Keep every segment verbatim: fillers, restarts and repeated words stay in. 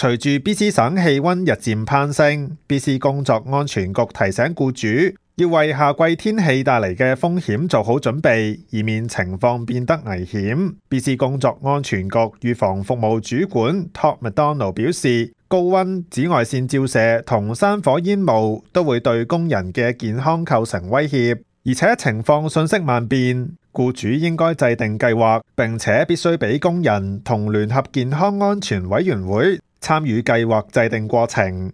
隨住 B C 省氣溫日漸攀升 ，B C 工作安全局提醒僱主要為夏季天氣帶嚟嘅風險做好準備，以免情況變得危險。B C 工作安全局預防服務主管 Todd McDonald 表示，高溫、紫外線照射同山火煙霧都會對工人嘅健康構成威脅，而且情況瞬息萬變，僱主應該制定計劃，並且必須俾工人同聯合健康安全委員會參與計劃制定過程。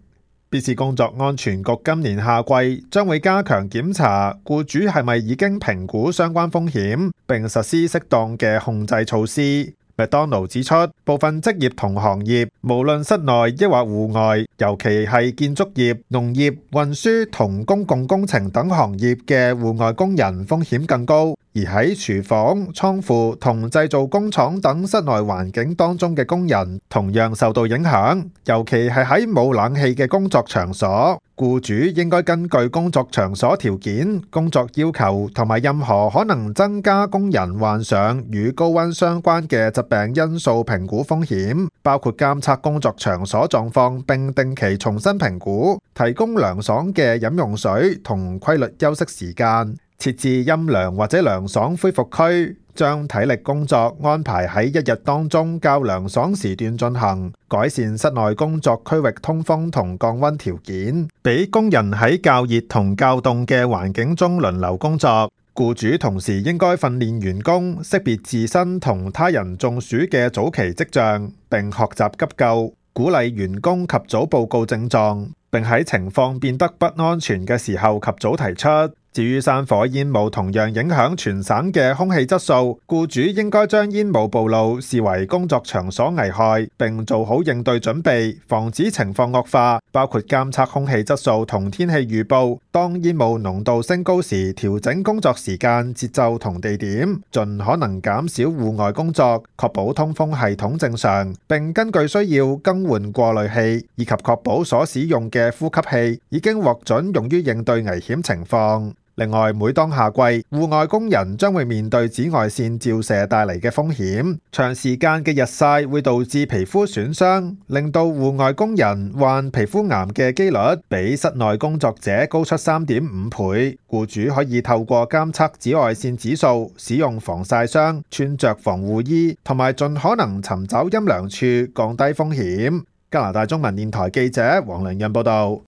B C 工作安全局今年夏季將會加強檢查僱主係咪已經評估相關風險，並實施適當嘅控制措施。McDonald 指出，部分職業同行業，無論室內抑或戶外，尤其係建築業、農業、運輸同公共工程等行業嘅戶外工人風險更高。而喺廚房、倉庫同製造工廠等室內環境當中嘅工人同樣受到影響，尤其係喺冇冷氣嘅工作場所。僱主應該根據工作場所條件、工作要求同埋任何可能增加工人患上與高溫相關嘅疾病因素評估風險，包括監測工作場所狀況並定期重新評估，提供涼爽嘅飲用水同規律休息時間，設置陰涼或者涼爽恢復區，將體力工作安排喺一日當中較涼爽時段進行，改善室內工作區域通風同降溫條件，俾工人喺較熱同較凍嘅環境中輪流工作。僱主同時應該訓練員工識別自身同他人中暑嘅早期跡象，並學習急救，鼓勵員工及早報告症狀，並喺情況變得不安全嘅時候及早提出。至於山火煙霧同樣影響全省嘅空氣質素，僱主應該將煙霧暴露視為工作場所危害，並做好應對準備，防止情況惡化，包括監測空氣質素同天氣預報，當煙霧濃度升高時調整工作時間、節奏同地點，盡可能減少戶外工作，確保通風系統正常，並根據需要更換過濾器，以及確保所使用嘅呼吸器已經獲准用於應對危險情況。另外，每當夏季，戶外工人將會面對紫外線照射帶嚟嘅風險，長時間嘅日曬會導致皮膚損傷，令到戶外工人患皮膚癌嘅機率比室內工作者高出三點五倍。僱主可以透過監測紫外線指數、使用防曬霜、穿着防護衣，同埋盡可能尋找陰涼處，降低風險。加拿大中文電台記者黃良潤報道。